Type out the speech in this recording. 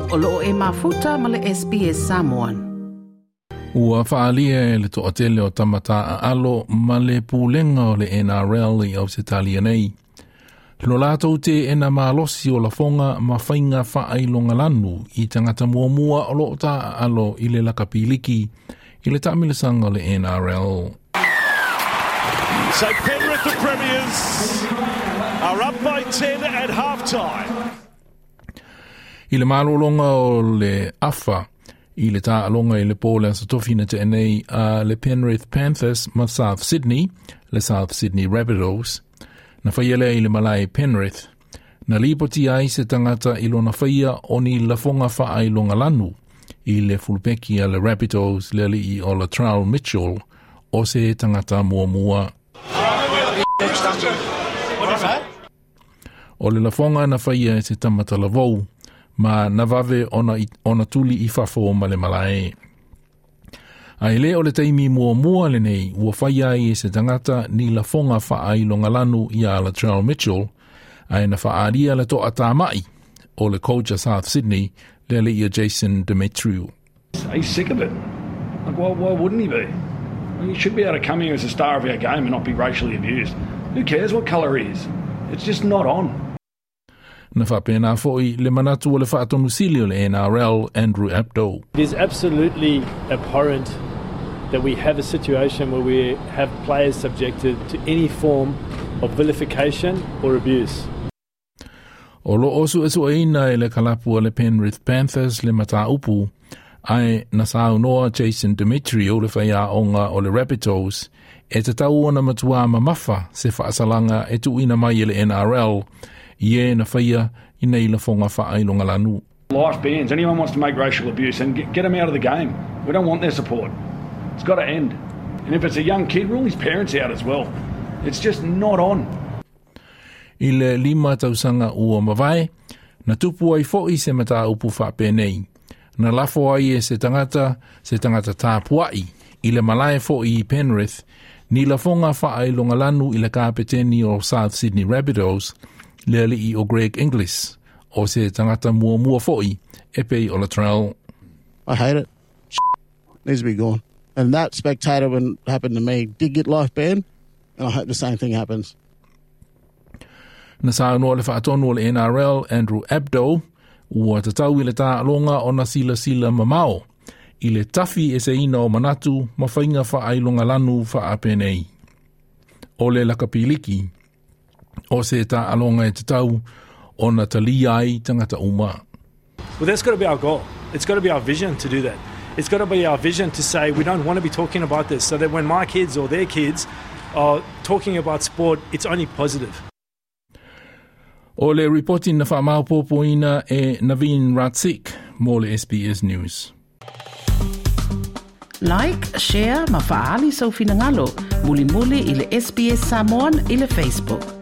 O loo e mafuta ma le SBS Samoan. Ua faalia e le toatele o tama taaalo ma le pulega o le NRL i Ausetalia nei lo latou teena malosi o lafoga ma faiga faailogalanu i tagata muamua o loo taaalo i le lakapi liki i le taamilosaga o le NRL. So Penrith, the premiers, are up by 10 at half-time. I le malologa o le afa i le taaloga i le po le Aso Tofi na tea nei a le Penrith Panthers ma South Sydney, le South Sydney Rabbitohs, na faia lea i le malae Penrith, na lipoti ai se tagata i lona faia o ni lafoga faailogalanu i le fulupeki a le Rabbitohs le alii o Latrell Mitchell o se tagata muamua. O le lafoga na faia e se tama talavou, ma na vave ona, ona tuli i fafo ma le malae. Ae le o le taimi muamua lenei ua faia ai e se tagata ni lafoga faailogalanu ia Latrell Mitchell, ae na faaalia le toatamai o le coach a South Sydney, le alii ia Jason Demetriou. He's sick of it. Like, why wouldn't he be? I mean, he should be able to come here as a star of our game and not be racially abused. Who cares what colour he is? It's just not on. Na faapena foi le manatu o le faatonusili o le NRL Andrew Abdo. It is absolutely abhorrent that we have a situation where we have players subjected to any form of vilification or abuse. O loo suesueina e le kalapu a le Penrith Panthers le mataupu, ae na saunoa Jason Demetriou le faiaoga o le Rabbitohs e tatau ona matua mamafa se faasalaga e tuuina mai e le NRL i e na faia i nei lafoga faailogalanu. Life bans. Anyone wants to make racial abuse, and get them out of the game. We don't want their support. It's got to end. And if it's a young kid, rule his parents out as well. It's just not on. I le 5 tausaga ua mavae, na tupu ai foi se mataupu faapenei. Na lafo ai e se tagata, se tagata tapuai, i le malae foi i Penrith, ni lafoga faailogalanu i le kapeteni o South Sydney Rabbitohs, le alii o Greg Inglis, o se tagata muamua foi e pei o Latrell. I hate it. Needs to be gone. And that spectator, when it happened to me, did get life banned, and I hope the same thing happens. Na saunoa le faatonu o le NRL Andrew Abdo, ua tatau i le taaloga ona silasila mamao i le tafi eseina o manatu ma faiga faailogalanu faapenei. O le lakapi liki, o se taaloga e tatau ona talia ai tagata uma. Well, that's got to be our goal. It's got to be our vision to do that. It's got to be our vision to say we don't want to be talking about this, so that when my kids or their kids are talking about sport, it's only positive. O le ripoti na faamaopoopoina e Naveen Ratsik mo le SBS News. Like, share ma faaali sou finagalo. Mulimuli i le SBS Samoan i le Facebook.